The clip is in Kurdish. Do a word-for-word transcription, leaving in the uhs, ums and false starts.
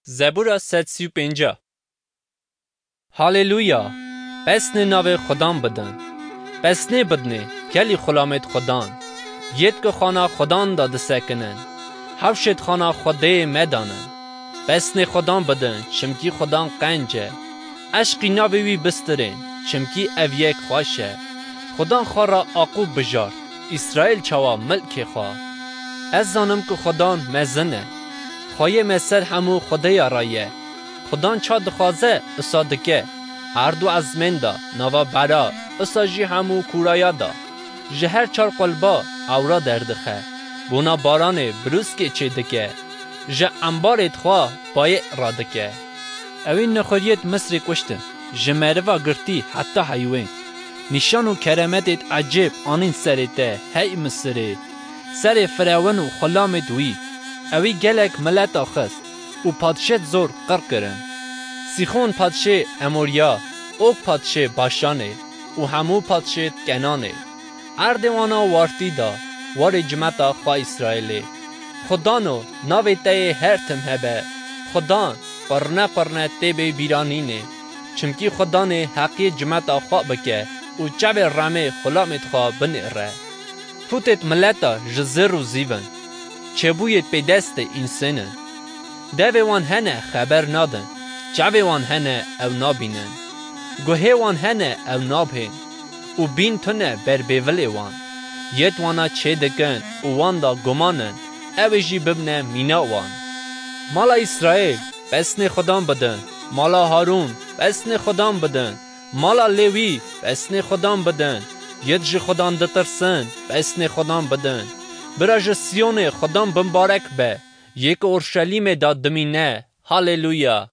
Zebûra sed sî û pênc. Haleluya! Pesnê navê Xudan bidin. Pesnê bidinê, gelî xulamêt Xudan. Yêt ku xana Xudan da disekinin. Hewşêt xana Xwedê medanin. Pesnê Xudan bidin, çimkî Xudan qenc e. Eşqî navê wî bistirên, çimkî ev yek xweş e. Xudan xwe re Aqûb bijart, Îsraîl çawa milkê xwe. Ez zanim ku Xudan mezin e. Xweyê me ser hemû xwedêya re ye. Xudan ça dixwaze, isa dike. Erd û ezmên da, nava bera, isa jî hemû kûraya da. Ji her çar qulba ewra derdixe. Bona baranê birûskê çêdike. Ji embarêt xwe bayê radike. Ewî nexweriyêt Misrê kuştin, ji meriva girtî heta heywên. Nîşan û keremetêt ecêb anîn serê te, hey Misirê. Serê Firawin û xulamêt wî. Ewî gelek mileta xist û padşêt zor qir kirin. Sîxon padşê Emoriya, Og padşê Başanê û hemû padşêt Kenanê. Erdê wana wartî da, warê cimeta xwe Îsraîlê. Xudano, navê te yê her tim hebe. Xudan, qurne qurne tê bê bîranînê. Çimkî Xudanê heqiyê cimeta xwe bike û çavê remê xulamêt xwe binêre. Pûtêt mileta ji zêr û zîv in. Çêbûyêt pêdestê însên in. Devê wan hene xeber nadin. Çavê wan hene ew nabînin. Guhê wan hene ew nabhên. Û bîn tune ber bêvilê wan. Yêt wana çêdikin û wan da guman in, ew ê jî bibine mîna wan. Mala Îsraîl, pesnê Xudan bidin. Mala Harûn, pesnê Xudan bidin. Mala Lêwî, pesnê Xudan bidin. Yêt ji Xudan ditirsin, pesnê Xudan bidin. Bira ji Siyonê Xudan bimbarek be. Yê ku Orşelîmê da dimîne. Haleluya!